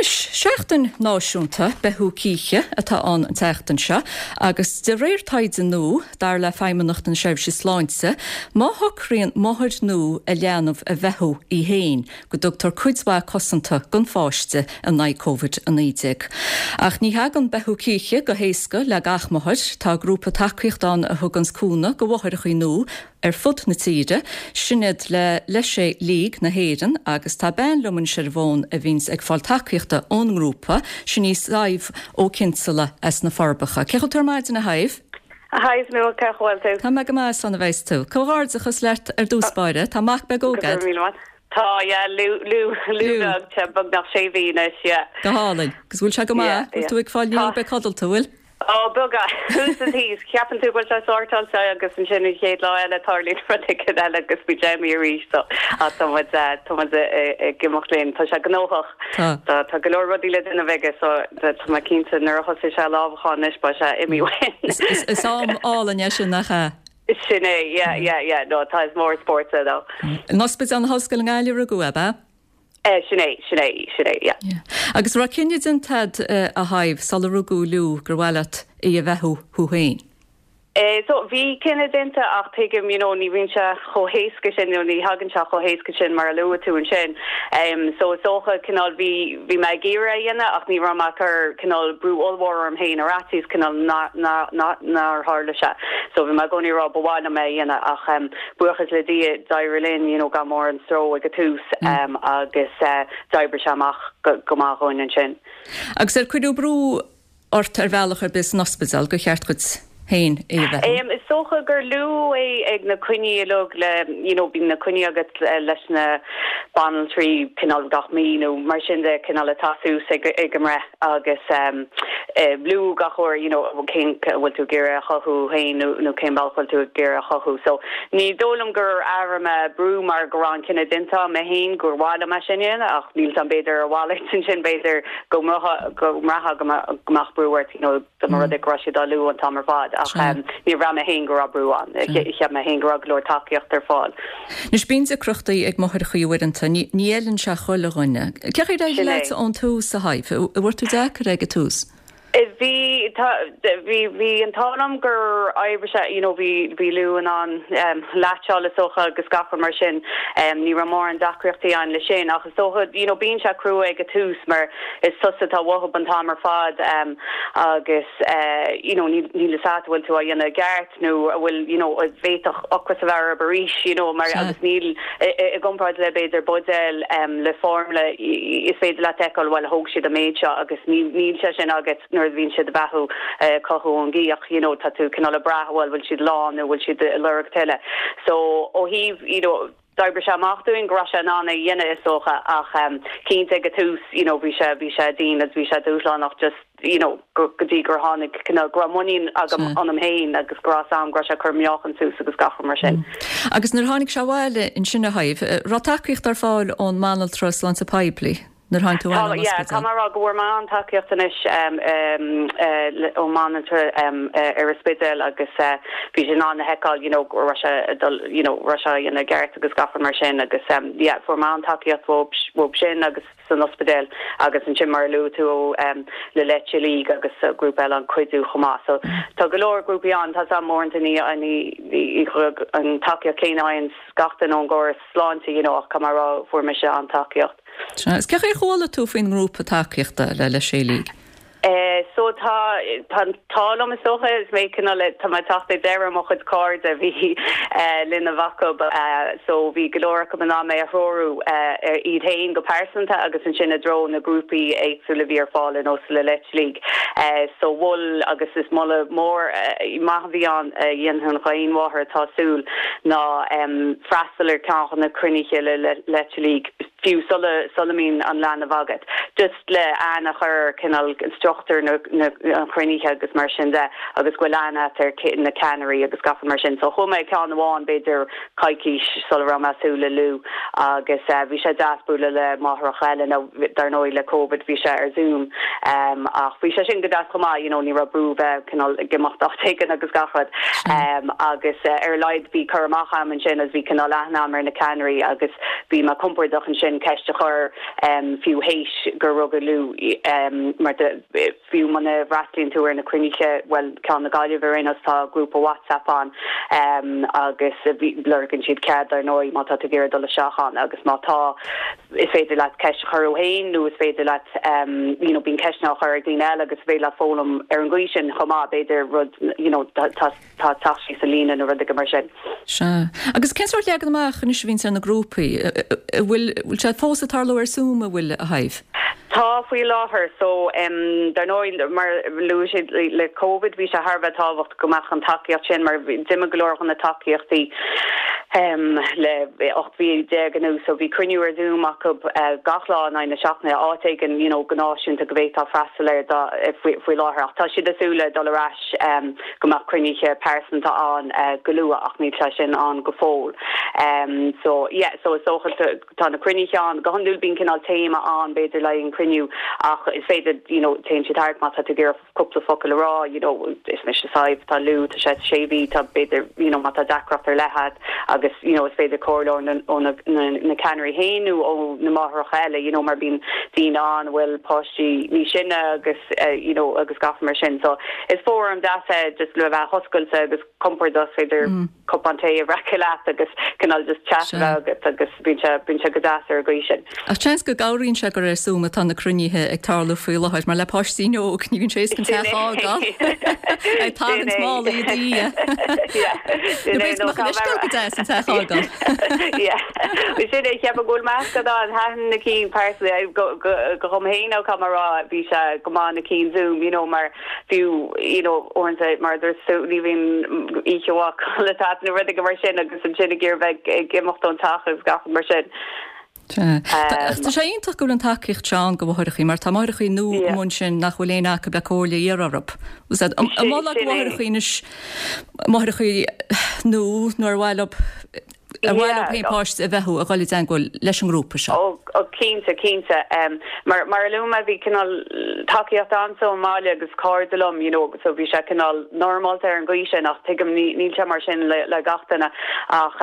Anois, Seachtain Náisiúnta Beathú Cíche atá ann an tseachtain seo agus de réir taighde nua, dar le Feidhmeannacht na Seirbhíse Sláinte, má shocraíonn máthair nua a leanbh a bheathú í féin, go dtugtar cuid mhaith cosanta don pháiste in aghaidh Covid-19. Ach ní thagann beathú cíche go héasca le gach máthair. Tá grúpa tacaíochta ann a thuganns cúnamh go mháithreachaí nua ar fud na tíre, sin iad le Leisce League na hÉireann agus tá bean liom anois ar an bhfón a bhíonns ag fáil tacaíochta ón ngrúpa, sin í Sadhbh Ó Cinnseala as na Forbacha. Cén chaoi a bhfuil tú ar maidin a Shadhbh? A Shadhbh, cén chaoi a bhfuil tú? Tá mé go maith, slán a bheas tú. Comhghairdeachas leat ar dtús báire, tá mac beag óg Go raibh míle maith. Tá, yeah, Lú, Lú, Lú beag, tá beagnach sé mhí anois, yeah. Go hálainn. Agus bhfuil sé go maith? Bhfuil tú ag fáil Tá. níl beag codlata, bhfuil? Ó, beagán, thuas is thíos. Ceapann tú go bhfuil sé sórtáilte agus ansin an chéad lá eile tarlaíonn rud éigin eile agus bíonn sé arís so ach tá muid, tá muid ag imeacht linn. Tá sé gnóthach. Tá. Tá, tá go leor rudaí le déanamh aige so tá mé cinnte nuair a thosaigh sé lámhachán anois beidh sé imithe uainn. Is am álainn é sin, nach ea? Sin é, yeah, yeah, yeah, no, tá, is mór an spórt é though. In Ospidéal na hOllscoile i nGaillimh a rugadh é, ab ea? Eh, sin é, sin é, sin é, yeah. Yeah. Agus raibh cinneadh déanta agat, a Shadhbh, sula rugadh Lú, gur mhaith leat í a bheathú thú féin? Eh, so, bhí cinneadh déanta ach tuigim, you know, ní bhíonn sé chomh héasca sin, nó ní thagann sé chomh héasca sin mar a luaigh tú ansin. Em, so is dócha, cineál, bhí, bhí mé ag iarraidh é a dhéanamh ach ní raibh mé ag cur, cineál, brú ollmhór orm féin ar fhaitíos, cineál, nár tharla sé. So bhí mé i gcónaí ag rá ba mhaith liom é a dhéanamh ach, em, buíochas le Dia d'éirigh linn, you know, gan mórán stró ag an tús, em, agus, eh, d'oibrigh sé amach go, go maith dhúinn ansin. Agus ar cuireadh brú ort ar bhealach ar bith san ospidéal gur cheart dhuit féin í a bheathú? Is dócha gur luadh é ag na coinní uilig le, you know, bíonn na coinní agat leis na banaltraí cineál gach mí nó mar sin de, cineál ag teacht suas ag ag an mbreith agus luadh gach uair, you know, cén, an bhfuil tú ag iarraidh a chothú féin nó nó cén bealach bhfuil tú ag iarraidh a chothú. So ní dóigh liom gur airigh mé brú mar go raibh an cinneadh déanta agam féin gur mhaith liom é sin a dhéanamh ach níl 's agam b'fhéidir a mhalairt ansin b'fhéidir go mbraithfeá go mbeadh brú ort, you know, dá mba rud é go raibh siad á lua an t-am ar fad ach níor bhraith mé féin go raibh brú ann. Cheap mé féin go raibh go leor tacaíocht ar fáil. Anois bíonn deacrachtaí ag máithreachaí uaireanta, ní fheileann sé chuile dhuine. Cén chaoi ar éirigh leat ón tús, a Shadhbh? An bhfuair tú deacair é ag an tús? Bhí, tá, bhí, bhí an t-ádh liom gur oibrigh sé, you know, bhí, bhí Lú in ann latcháil is dócha agus gach rud mar sin. Ní raibh mórán deacrachtaí ann leis sin ach is dócha, you know, bíonn sé crua ag an tús mar is tusa atá uathub an t-am ar fad agus you know níl níl fhios agat an bhfuil tú á dhéanamh i gceart nó an bhfuil you know bhféadfadh ocras a bheith orthu arís you know mar agus níl i gcomparáid le b'fhéidir buidéal le foirmle is féidir leat fheiceáil bhuel thóg siad an méid seo agus níl níl sé sin agat nuair a bhíonn siad ag beathú cothú ón gcíoch you know tá tú cineál ag brath bhuel bhfuil siad lán nó bhfuil siad ag lorg tuilleadh so ó thaobh you know D'oibrigh sé amach dúinn go raibh sé in ann é a dhéanamh is dócha ach cinnte ag an tús you know bhí sé bhí sé dian agus bhí sé dúshlánach just you know go go dtí gur tháinig cineál go raibh muinín agam ionam féin agus go raibh 'fhios a'm go raibh sé ag cur meáchan suas agus gach rud mar sin. Agus nuair a tháinig sé abhaile ansin a Shadhbh, raibh tacaíocht ar fáil ón mbanaltra sláinte poiblí? Nuair a tháinig tú abhaile ón yeah, ospidéal. caithfidh mé a rá go bhfuair mé an-tacaíocht anois ón mbanaltra ar an Spidéal agus bhí siad in ann a fheiceáil you know go raibh sé ag dul you know raibh sé á dhéanamh i gceart agus gach rud mar sin agus yeah fuair mé an-tacaíocht uathub sin agus san ospidéal agus ansin mar a luaigh tú ó le Leite League agus grúpa eile an Cuidiú chomh maith. So tá go leor grúpaí ann, tá 's a'm uaireanta ní ní an tacaíocht chéanna a fhaigheann gach duine ón gcóras sláinte you know ach caithfidh mé a rá fuair mise an-tacaíocht. Sea. Is cén chaoi ar chuala tú faoin ngrúpa tacaíochta le Leisce League? So tá, tá an t-ádh liom is dócha, is mé cineál, tá mé ag teacht ag deireadh mo chuid cairde a bhí linbh acu so bhí go leor acu in ann mé a threorú iad féin go pearsanta agus ansin i dtreo na grúpaí éagsúla a bhí ar fáil ar nós le Leite League. So mhol agus is moladh mór maith a bhí ann a dhéanfainn d'aon mháthair atá ag súil ná freastal ar ceann de na cruinnithe le Leite League. fiú sula sula mbíonn an leanbh agat, just le aithne a chur ar cineál struchtúr na na an chruinnithe agus mar sin de agus go bhfuil aithne agat ar na ceannairí agus gach rud mar sin. So chuaigh mé ag ceann amháin b'fhéidir coicís sula raibh mé ag súil le Lú agus bhí sé deas bualadh le máithreacha eile nó dar ndóigh le Covid bhí sé ar Zoom ach bhí sé sin go deas chomh maith, you know ní raibh brú bheith cineál ag imeacht áit éigin agus gach rud agus ar a laghad bhí cur amach a'm ansin agus bhí cineál aithne a'm ar na ceannairí agus Bhí mé compordach ansin. sin ceist a chur fiú théis gur rugadh Lú mar fiú muna bhfreastlaíonn tú ar na cruinnithe, bhuel ceann na Gaillimhe ar aon nós tá grúpa WhatsApp ann agus lorgann siad cead dar ndóigh má tá tú ag iarraidh dul isteach ann agus má tá is féidir leat ceist a chur thú féin nó is féidir leat you know bíonn ceisteanna á chur ag daoine eile agus is féidir leat foghlaim ar an gcaoi sin chomh maith b'fhéidir rud you know tá tá teacht síos an líne nó rud éigin mar sin. Sea. Agus cén sórt leagan amach anois a bhíonns ar na grúpaí? An bhfuil bhfuil sé fós ag tarlú ar Zoom an bhfuil a Shadhbh? Tá faoi láthair. So dar ndóigh mar a luaigh siad le Covid bhí sé thar a bheith tábhachtach go mbeadh an tacaíocht sin mar d'imigh go leor de na tacaíochtaí le 18 mhí anuas so bhí cruinniú ar Zoom acu gach lá in aghaidh na seachtaine áit éigin you know go náisiúnta go bhféadfá freastal air faoi láthair ach tá siad ag súil le dul ar ais go mbeadh cruinnithe pearsanta ann go luath ach níl sé sin ann go fóill. So yeah so is dócha tá na cruinnithe ann go hiondúil bíonn cineál téama ann b'fhéidir le haghaidh an cruinniú ach is féidir you know téann siad thart má tá tú ag iarraidh cúpla focal a rá, you know, is mise Sadhbh, tá Lú, tá sé sé mhí, tá b'fhéidir, you know, má tá deacracht ar leith agat agus, you know, is féidir comhairle ó ó na na na ceannairí féin nó ó na máithreacha eile, you know, mar bíonn daoine ann a bhfuil páistí níos sine agus, you know, agus gach mar sin. So is fóram deas é just le bheith oscailte agus compordach, is féidir cupán tae a bhreacadh leat agus cineál just chat a bheith agat agus bíonn sé, bíonn sé go deas ar an gcaoi sin. Ach seans go gcabhraíonn sé gur ar Zoom atá na cruinnithe ag tarlú faoi láthair mar le páistí óg ní bhíonn sé éasca an teach a fhágáil ag tarraingt málaí i do dhiaidh. Nó b'fhéidir go mbeadh an uisce go deas an teach a fhágáil. Sin é, cheapfainn go bhfuil meascán ann, thaitin na cinn pearsanta go dhom féin ó caithfidh mé a rá bhí sé go maith na cinn Zoom you know mar fiú you know uaireanta mar a dúirt tú ní bhíonn oíche mhaith codlata agat nó rud éigin mar sin agus ansin ag iarraidh bheith ag imeacht ón teach agus gach rud mar sin. Sea. Tá sé iontach go bhfuil an tacaíocht seo ann do mháithreachaí mar tá máithreachaí nua amuigh ansin nach bhfuil éinne acu le comhairle a iarraidh orthu. An molfá do mháithreachaí anois, máithreachaí nua nó ar mhaith leo Ar mhaith leo féin páiste a bheathú a dhul i dteagmháil leis an ngrúpa seo? Ó, cinnte, cinnte. Mar, mar a luaigh mé, bhí cineál tacaíocht ann sa mbaile agus cairde liom, you know, so bhí sé cineál normálta ar an gcaoi sin ach tuigim, ní, níl sé mar sin le, le gach duine. Ach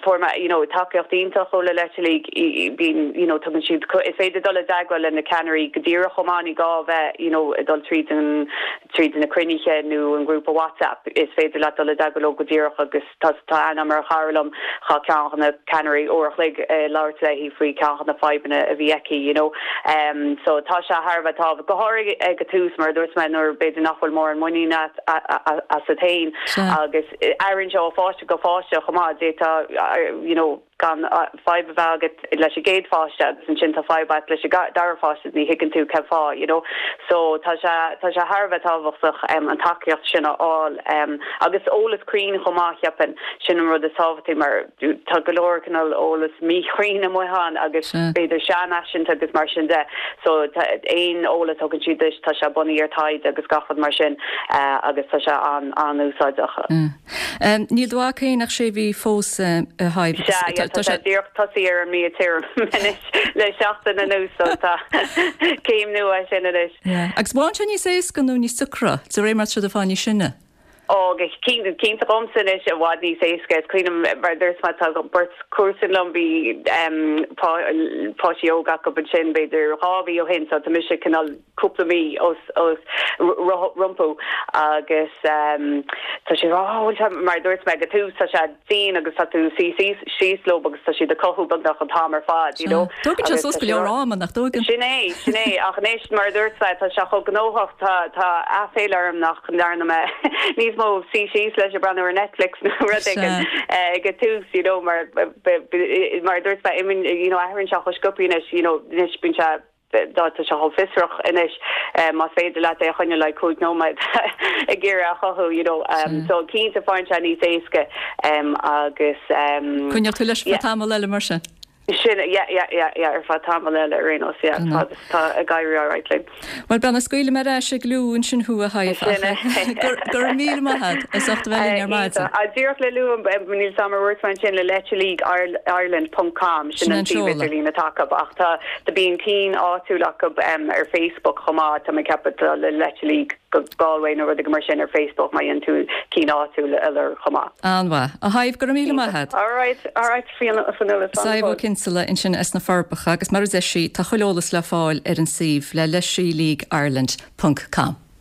fuair mé, you know, tacaíocht iontach ó Le Leite League, bíonn, you know, tugann siad, is féidir dul i dteagmháil le na ceannairí go díreach chomh maith, ní gá a bheith, you know, ag dul tríd an, tríd na cruinnithe nó an grúpa WhatsApp, is féidir leat dul i dteagmháil leo go díreach agus tá tá aithne agam ar chara liom, chaith ceann de na ceannairí uair a chloig ag labhairt léi faoi ceann de na fadhbanna a bhí aici, you know. So tá sé thar a bheith tábhachtach, go háirithe ag an tús mar a dúirt mé nuair b'fhéidir nach bhfuil mórán muinín asat féin agus athraíonn sé ó pháiste go pháiste chomh maith, d'fhéadfá, you know, gan fadhb a bheith agat leis an gcéad pháiste agus ansin tá fadhb agat leis an dara pháiste ní thuigeann tú cén fáth you know so tá sé tá sé thar a bheith tábhachtach an tacaíocht sin a fháil agus eolas cruinn chomh maith cheapfainn sin an rud is tábhachtaí mar tá go leor cineál eolas míchruinn amuigh ann agus b'fhéidir seanfhaiseanta agus mar sin de so aon eolas a thugann siad duit tá sé bunaithe ar taighde agus gach rud mar sin agus tá sé an an-úsáideach. Níl do mhac féin ach sé mhí fós, a Shadhbh, agus Sea, yeah, tá sé díreach tosaithe ar an mbia tirim anois le seachtain anuas, so tá céim nua sin anois. Yeah. Agus bhfuil sé níos éasca nó níos deacra, de réir mar atá siad ag fáil níos sine? Ó, go cinnte, cinnte dhomsa anois, i bhfad níos éasca. Is cuimhin liom, mar a dúirt mé, tá beirt comharsan liom, bhí páistí óga acu ansin b'fhéidir 2 mhí ó shin, so tá mise cineál cúpla mí os os rompu agus tá sé á bhfuil sé mar a dúirt mé ag an tús tá sé dian agus tá tú suí síos leo agus tá siad ag cothú beagnach an t-am ar fad you know. Tógann sé suas go leor ama nach dtógann? Sin é, sin é ach anois mar a dúirt mé tá sé chomh gnóthach tá tá aiféala orm nach ndearna mé níos mó suí síos leis ag breathnú ar Netflix nó rud éigin ag an tús you know mar mar a dúirt mé you know athraíonn sé chomh sciobtha anois you know anois bíonn sé Tá sé chomh fiosrach anois, más féidir leat é a choinneáil like 5 nóiméad ag iarraidh a chothú, you know. So cinnte faigheann sé níos éasca agus. Coinneoidh tú leis ar feadh tamall eile mar sin? Sin, yeah, yeah, yeah, yeah, ar feadh tamall eile ar aon nós, yeah, fad is atá ag éirí alright linn. Bhuel, bean, scaoilfidh mé ar ais ag Lú ansin thú, a Shadhbh, ach go raibh míle maith agat as ucht a bheith linn ar maidin. Díreach le lua, níl 's a'm ar dhúirt mé ansin, le Leite League Ireland ponc com, sin an suíomh idirlín atá acu, ach tá, tá bíonn cinn áitiúil acu ar Facebook chomh maith, tá mé ag ceapadh tá le Leite League Galway nó rud éigin mar sin ar Facebook má dhéanann tú cinn áitiúil a lorg chomh maith. An-mhaith. A Shadhbh, go raibh míle maith agat. Alright, alright, Fionnuala, Sadhbh Ó Cinnéide. Kinsella ansin as na Forbacha agus mar a deir sí, tá chuile eolas le fáil ar an suíomh le Leisí League Ireland ponc com.